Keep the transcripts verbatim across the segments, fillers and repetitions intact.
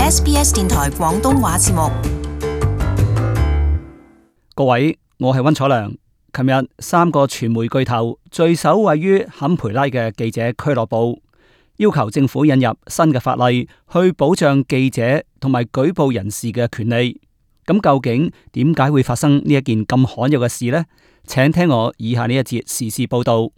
S B S 電台廣東話節目。各位，我係溫楚良。琴日三個傳媒巨頭聚首位於坎培拉嘅記者俱樂部，要求政府引入新嘅法例去保障記者同埋舉報人士嘅權利。咁究竟點解會發生呢一件咁罕有嘅事呢？請聽我以下呢一節時事報道。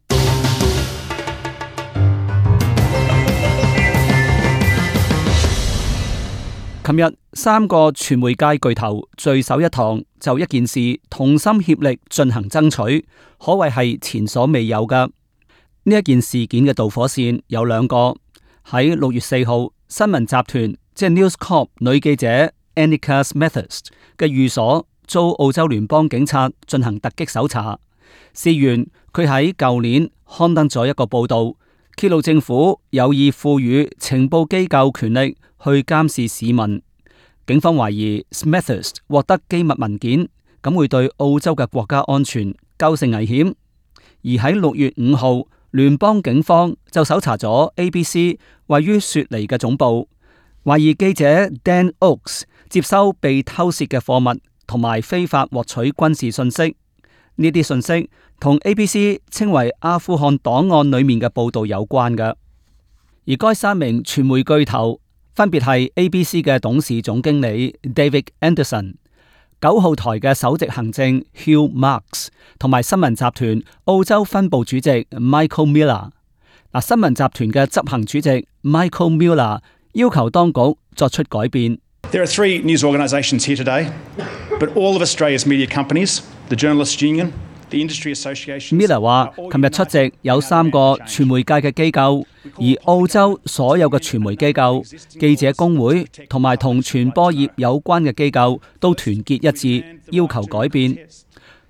琴日三個傳媒界巨頭聚首一堂，就一件事同心協力進行爭取，可謂係前所未有嘅。呢一件事件嘅導火線有兩個。喺六月四號，新聞集團即係 News Corp 女記者 Annika Smethurst 嘅寓所遭澳洲聯邦警察進行突擊搜查。事源佢喺舊年刊登咗一個報道，揭露政府有意賦予情報機構權力去監視市民。警方懷疑 Smethurst 獲得機密文件，咁會對澳洲嘅國家安全構成危險。而喺六月五號，聯邦警方就搜查咗 A B C 位於雪梨嘅總部，懷疑記者 Dan Oakes 接收被偷竊嘅貨物，同埋非法獲取軍事信息。呢啲信息同 A B C 稱為阿富汗檔案裏面嘅報道有關嘅。而該三名傳媒巨頭分別係 A B C 嘅董事總經理 David Anderson、九號台嘅首席行政 Hugh Marks 同埋新聞集團澳洲分部主席 Michael Miller。嗱，新聞集團嘅執行主席 Michael Miller 要求當局作出改變。There are three news organisations here today, but all of Australia's media companies, the Journalists Union, the Industry Association. Miller 話，琴日出席有三個傳媒界嘅機構，而澳洲所有嘅傳媒機構、記者工會同埋同傳播業有關嘅機構都團結一致，要求改變。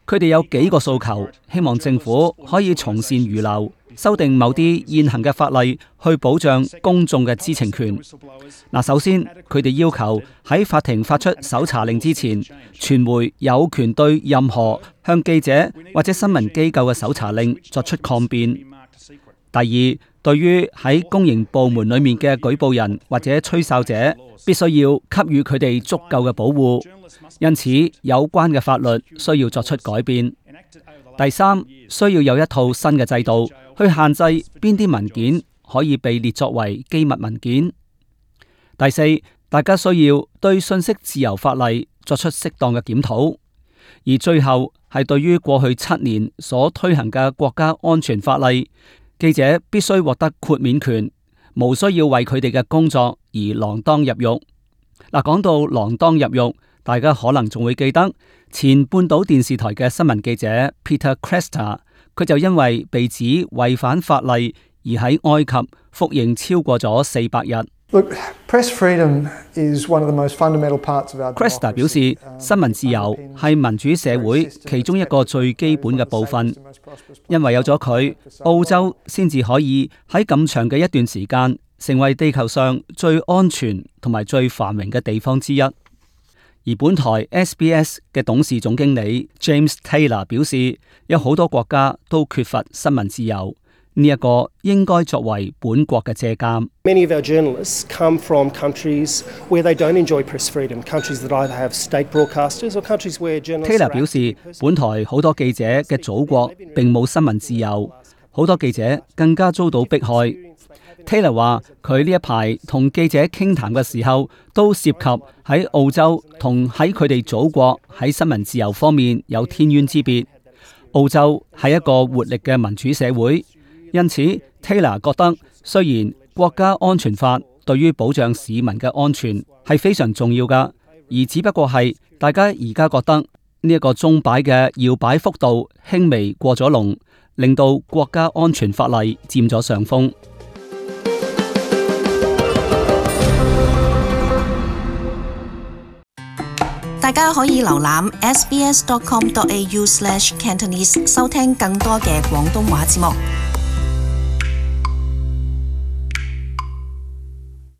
佢哋有幾個訴求，希望政府可以從善如流，修訂某啲現行嘅法例去保障公眾嘅知情權。嗱，首先佢哋要求喺法庭發出搜查令之前，傳媒有權對任何向記者或者新聞機構嘅搜查令作出抗辯。第二，對於喺公營部門裏面嘅舉報人或者吹哨者，必須要給予佢哋足夠嘅保護。因此，有關嘅法律需要作出改變。第三，需要有一套新嘅制度去限制邊啲文件可以被列作為機密文件。第四，大家需要對信息自由法例作出適當嘅檢討。而最後係對於過去七年所推行嘅國家安全法例，記者必須獲得豁免權，無需要為佢哋嘅工作而鋃鐺入獄。嗱，講到鋃鐺入獄，大家可能仲會記得前半島電視台嘅新聞記者 Peter Cresta， 佢就因為被指違反法例而喺埃及服刑超過咗四百日。Look, press freedom is one of the most fundamental parts of our democracy. Cresta 表示，新聞自由係民主社會其中一個最基本嘅部分，因為有咗佢，澳洲先至可以喺咁長嘅一段時間成為地球上最安全同埋最繁榮嘅地方之一。而本台 S B S 嘅董事總經理 James Taylor 表示，有好多國家都缺乏新聞自由。呢一個應該作為本國嘅借鑑。Many of our journalists come from countries where they don't enjoy press freedom, countries that either have state broadcasters or countries where journalists. Taylor 表示，本台好多記者嘅祖國並冇新聞自由，好多記者更加遭到迫害。Taylor 話：佢呢一排同記者傾談嘅時候，都涉及喺澳洲同喺佢哋祖國喺新聞自由方面有天淵之別。澳洲係一個活力嘅民主社會。因此 Taylor 覺得，雖然國家安全法對於保障市民嘅安全係非常重要噶，而只不過係大家而家覺得呢一個鐘擺嘅搖擺幅度輕微過咗龍，令到國家安全法例佔咗上風。大家可以瀏覽 s b s dot com dot a u slash cantonese 收聽更多嘅廣東話節目。